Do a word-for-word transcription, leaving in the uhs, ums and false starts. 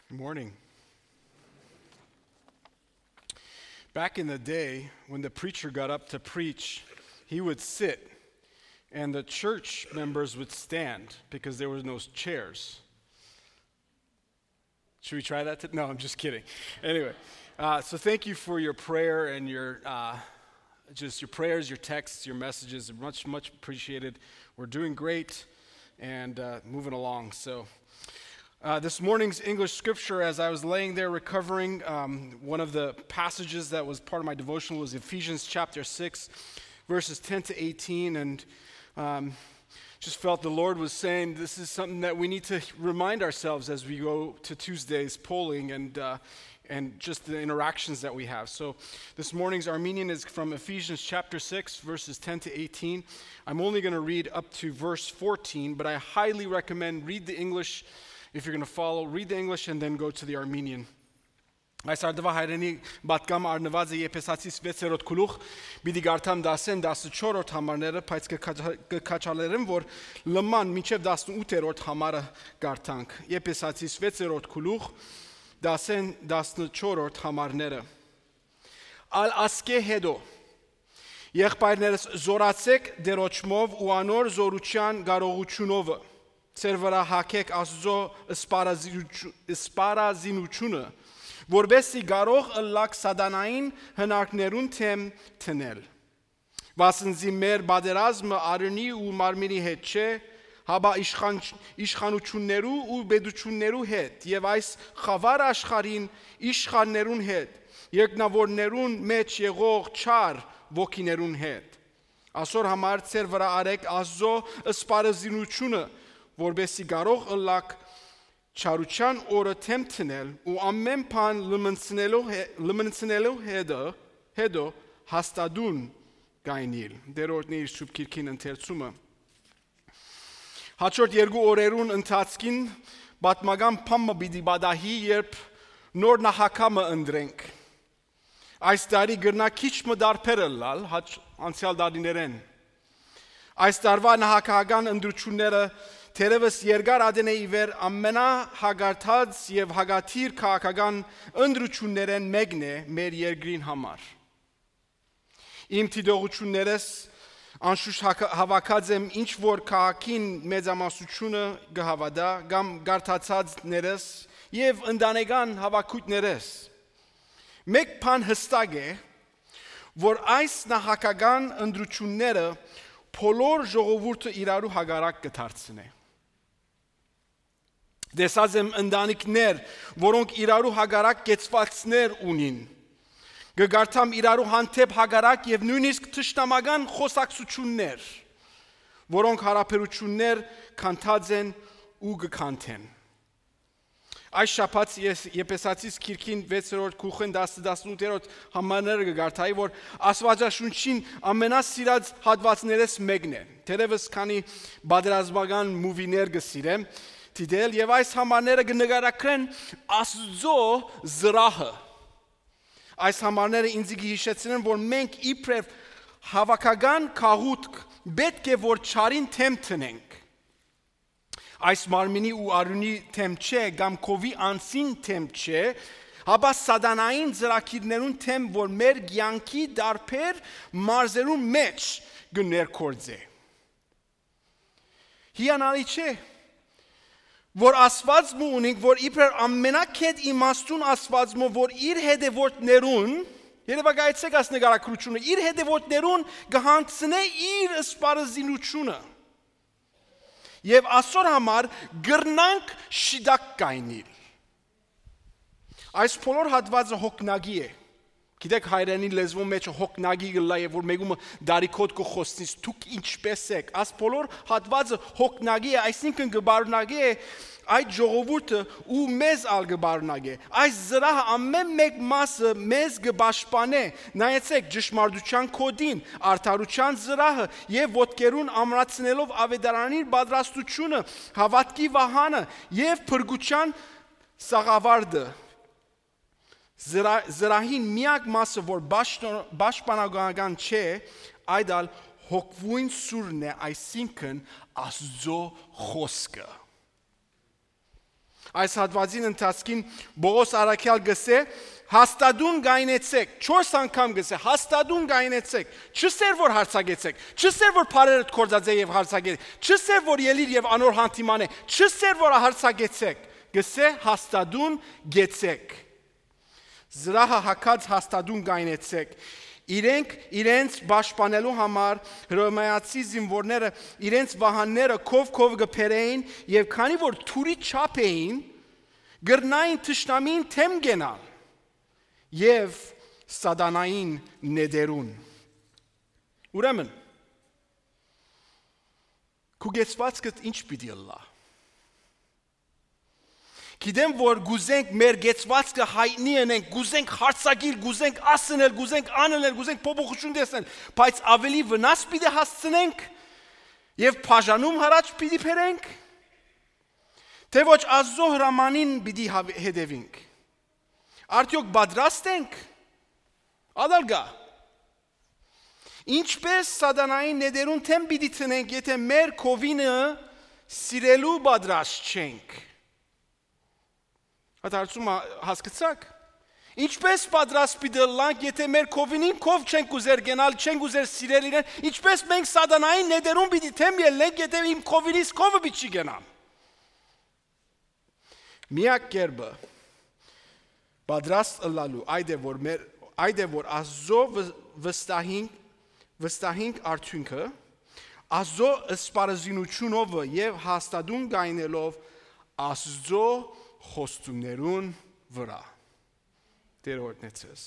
Good morning. Back in the day, when the preacher got up to preach, he would sit, and the church members would stand because there was no chairs. Should we try that? To- no, I'm just kidding. Anyway, uh, so thank you for your prayer and your uh, just your prayers, your texts, your messages. Much, much appreciated. We're doing great and uh, moving along. So, uh, this morning's English scripture, as I was laying there recovering, um, one of the passages that was part of my devotional was Ephesians chapter six, verses ten to eighteen. And um, just felt the Lord was saying this is something that we need to remind ourselves as we go to Tuesday's polling and uh, and just the interactions that we have. So this morning's Armenian is from Ephesians chapter six, verses ten to eighteen. I'm only going to read up to verse fourteen, but I highly recommend read the English. If you're going to follow, read the English and then go to the Armenian. Այս արդուայ հայերէնի պատգամ առնուած է Եփեսացիս վեցերորդ գլուխ, պիտի կարդամ դասեն տասնչորրորդ համարները, բայց կը քաչա-, կը քաչալերեմ, որ լման մինչեւ տասնութերորդ համարը կարդանք։ Եփեսացիս վեցերորդ գլուխ, դասեն տասնչորրորդ համարները։ Ալ ասկե հետո, եղբայրներս, զորացէք Տէրոջմով ու անոր զորութեան կարողութիւնովը, ձեր վրայ հագէք Աստուծոյ սպառազինութիւ-, սպառազինութիւնը, որպեսզի կարող ըլլաք սատանային հնարքներուն դէմ դնել։ Վասն զի մեր պատերազմը արիւնի ու մարմինի հետ չէ, հապա իշխան-, իշխանութիւններու ու պետութիւններու հետ եւ այս խաւար աշխարհին իշխաններուն հետ, երկնաւորներուն մէջ եղող չար ոգիներուն հետ։ Ասոր համար ձեր վրայ արեք Աստուծոյ սպառազինութիւնը, որպեսզի կարող ըլլաք չարութեան օրը դէմ դնել ու ամէն բան լմնցնելու հե-, լմնցնելու հետը, հետո հաստատուն կայնիլ։ Տէրոջմի իր Սուրբ Գիրքին ընթերցումը։ Հաջորդ երկու օրերուն ընթացքին պատմական բան մը պիտի պատահի, երբ նոր նախագահ մը ընտրենք։ Այս տարի կրնայ քիչ մը տարբեր ըլլալ հաճ-, անցեալ տարիներէն։ Այս տարուայ նախագահական ընտրութիւնները թերեւս երկար ատենէ ի վեր ամենահակարդած եւ հակադիր քաղաքական ընտրութիւններէն մէկն է մեր երկրին համար։ Իմ դիտողութիւններէս անշուշտ հակա-, հաւաքած եմ, ինչ որ քաղաքին մեծամասնութիւնը կը հաւատայ, կամ կարդացածներէս եւ ընտանեկան հաւաքոյթներէս։ Մէկ բան յստակ է, որ այս նախագահական ընտրութիւնները բոլոր ժողովուրդը իրարու հակառակ կը դարձնէ։ Տեսած եմ ընտանիքներ, որոնք իրարու հակառակ կեցուածքներ ունին։ Կը կարդամ իրարու հանդէպ հակառակ եւ նոյնիսկ թշնամական խօսակցութիւններ, որոնք յարաբերութիւններ քանդած են ու կը քանդեն։ Այս շաբաթ ես Եփեսացիս գիրքին վեցերորդ գլուխին տասը, տասնութերորդ համարները կը կարդայի, որ Աստուածաշունչին ամենասիրած հատուածներէս մէկն է։ Թերեւս քանի պատերազմական մուվիներ կը սիրեմ դիտել, եւ այս համարները կը նկարագրեն Աստուծոյ զրահը։ Այս համարները ինձի կը յիշեցնեն, որ մենք իբրեւ հաւաքական գաղութք պէտք է որ չարին դէմ դնենք։ Այս մարմինի ու արիւնի դէմ չէ, կամ քովի անձին դէմ չէ, հապա սատանային ծրագիրներուն դէմ, որ մեր կեանքի տարբեր մարզերուն մէջ կը ներգործէ։ Հիանալի չէ, որ Աստուած մը ունենք, որ իբրեւ ամենակետ իմաստուն Աստուած մը, որ իր հետեւորդներուն, երևակայեցեք այս նկարագրութիւնը, իր հետեւորդներուն կը յանձնէ իր սպառազինութիւնը։ Եւ ասոր համար կրնանք շիտակ կայնիլ։ Այս բոլոր հատուածը հոգնակի է։ Գիտեք, հայրենի լեզվոյ մեջ հոգնակի կ'ըլլայ, եւ որ մեկումը դարիքոտ կը խօսնիս, դուք ինչպէս էք։ Այս բոլոր հատուածը հոգնակի է, այսինքն կը պարունակի է այդ ժողովուրդը ու մեզ ալ կը պարունակի է։ Այս զրահը ամէն մէկ մասը մեզ կը պաշտպանէ։ Նայեցեք, ճշմարտութեան գօտին, արդարութեան զրահը եւ ոտքերուն ամրացնելով աւետարանին պատրաստութիւնը, հաւատքի վահանը եւ փրկութեան սաղավարտը։ Զրա-, զրահին միակ մասը, որ պաշտ-, պաշտպանական չէ, այդ ալ հոգւոյն սուրն է, այսինքն Աստուծոյ խօսքը։ Այս հատուածին ընթացքին Պողոս առաքեալ կ'ըսէ. «Հաստատուն կայնեցեք»։ Չորս անգամ կ'ըսէ. «Հաստատուն կայնեցեք»։ Չ'ըսէր որ հարցակեցեք, չ'ըսէր որ բարերդ կործածէ եւ հարցակեցեք, չ'ըսէր որ ելիր եւ անոր հանդիման է, չ'ըսէր որ հարցակեցեք, կ'ըսէ. «Հաստատուն կեցեք»։ Զրահը հագած հաստատուն կայնեցեք։ Իրենք իրենց պաշտպանելու համար հռոմեացի զինուորները իրենց վահանները քով քով կը բերէին, եւ քանի որ թուրի չափ էին, կրնային թշնամին դէմ կենալ եւ սատանային նետերուն։ Ուրեմն, քու կեցուածքդ ինչ պիտի ըլլայ։ Գիտեմ որ կ'ուզենք մեր կեցուածքը յայտնի ընենք, կ'ուզենք հարցակիլ, կ'ուզենք ասնել, կ'ուզենք անըլնել, կ'ուզենք փոփոխություն տեսնել, բայց ավելի վնաս պիտի հասցնենք եւ բաժանում յառաջ պիտի բերենք, թե ոչ Աստծո հրամանին պիտի հաւ-, հետևենք։ Արդյոք պատրաստ ենք։ Ատալ գա։ Ինչպէս սատանային նետերուն դէմ պիտի դնենք, եթէ մեր քովինը սիրելու պատրաստ չենք։ Այդ հարցումը հասկցաք։ Ինչպէս պատրաստ պիտի ըլլանք, եթէ մեր քովինին քով չենք ուզեր կենալ, չենք ուզեր սիրել իրեն, ինչպէս մենք սատանային նետերուն պիտի դէմ ելնենք, եթէ իմ քովինիս քովը պիտի չի կենամ։ Միակ կերպը պատրաստ ըլլալու այդ է, որ մեր, այդ է, որ Աստծո վստահինք, վստահինք արդիւնքը, Աստծո սպառազինութիւնովը եւ հաստատուն գայնելով Աստծո խոստումներուն վրայ։ Տերը օրհնեցես։